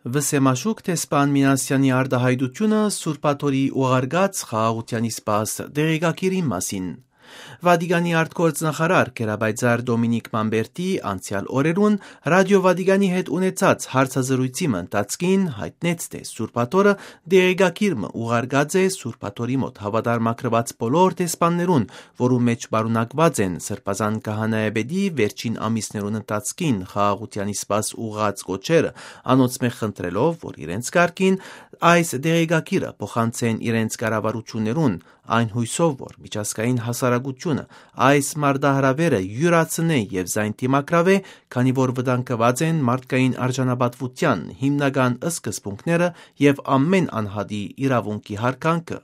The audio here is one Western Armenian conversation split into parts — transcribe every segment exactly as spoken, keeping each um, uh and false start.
Վսեմաշուք դեսպան Մինասեանի արտահայտութիւնը Սուրբաթորի ուղարկած խաղաղութեան սպաս դեղեկագիրին մասին։ Վատիկանի արտգործնախարար Գերապայծառ Դոմինիկ Մամբերտի անցեալ օրերուն Ռադիօ Վատիկանի հետ ունեցած հարցազրոյցի մը ընթացքին յայտնեց, թէ Սուրբաթորը դեղեկագիր մը ուղարկած է Սուրբաթորի մօտ հաւատարմագրուած բոլոր դեսպաններուն, որուն մէջ պարունակուած են Սրբազան Քահանայապետի վերջին ամիսներուն ընթացքին խաղաղութեան սպաս ուղղած կոչերը, անոնցմէ խնդրելով, որ իրենց կարգին այս դեղեկագիրը փոխանցեն իրենց կառավարութիւններուն, այն յոյսով, որ միջազգային հասարակութիւնը այս մարտահրաւերը իւրացնէ եւ զայն դիմագրաւէ, քանի որ վտանգուած են մարդկային արժանապատուութեան հիմնական սկզբունքները եւ ամէն անհատի իրաւունքի յարգանքը։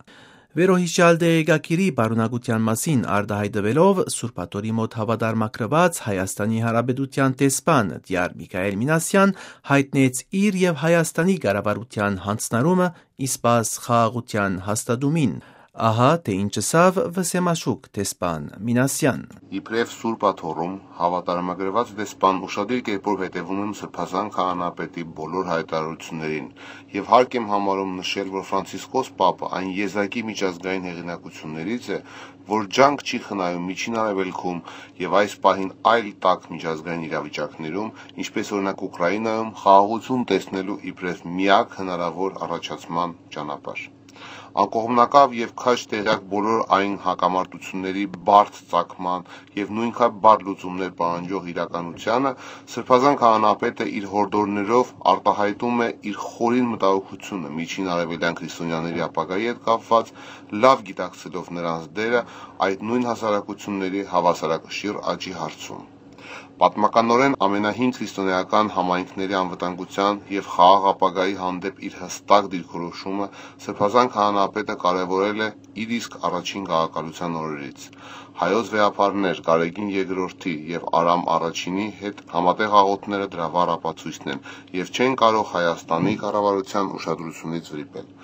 Վերոյիշեալ դեղեկագիրի պարունակութեան մասին արտահայտուելով Սուրբաթորի մօտ հաւատարմագրուած Հայաստանի Հանրապետութեան դեսպան Տիար Միքայել Մինասեան յայտնեց իր եւ Հայաստանի կառավարութեան յանձնարումը սպաս խաղաղութեան հաստատումին։ Ահա թէ ինչ ըսաւ վսեմաշուք դեսպան Մինասեան։ Իբրեւ Սուրբաթորում հաւատարմագրուած դեսպան ուշադիր կերպով հետեւում եմ Սրբազան Քահանայապետի բոլոր յայտարարություններին եւ հարկ եմ համարում նշել, որ Ֆրանցիսկոս Պապը այն եզակի միջազգային հեղինակություններից է, որ ջանք չի խնայում Միջին Արեւելքում եւ այս պահին այլ տաք միջազգային իրավիճակներում, ինչպես օրինակ Ուկրաինայում, խաղաղութիւն տեսնելու իբրեւ միակ հնարաւոր առաջացման ճանապարհ։ Անկողմնակաւ եւ քաջ տեղեակ բոլոր այն հակամարտությունների բարդ ծագման եւ նոյնքան բարդ լուծումներ պահանջող իրականությանը, Սրբազան Քահանայապետը իր յորդորներով արտահայտում է իր խորին մտահոգութիւնը Միջին Արեւելեան քրիստոնեաների ապագայի հետ կապուած, լաւ գիտակցելով նրանց դերը այդ նոյն հասարակությունների հաւասարակշիռ աճի հարցում։ Պատմականօրէն ամենահին քրիստոնէական համայնքների անվտանգութեան եւ խաղաղ ապագայի հանդէպ իր յստակ դիրքորոշումը Սրբազան Քահանայապետը կարեւորել է իր իսկ առաջին գաղակալութեան օրերից։ Հայոց վեհափառներ Գարեգին Երկրորդի եւ Արամ Առաջինի հետ համատեղ աղօթքները դրա վառ ապացոյցն են եւ չեն կարող Հայաստանի կառավարութեան ուշադրութիւնից վրիպել։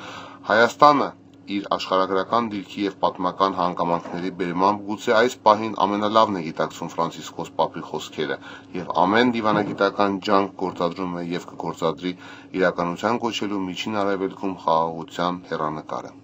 Հայաստանը իր աշխարհագրական դիրքի եւ պատմական հանգամանքների բերմամբ գուցե այս պահին ամենալավն է գիտակցում Ֆրանցիսկոս Պապի խօսքերը եւ ամէն դիւանագիտական ջանք գործադրում է եւ կը գործադրի իրականութեան կոչելու Միջին Արեւելքում խաղաղութեան հեռանկարը։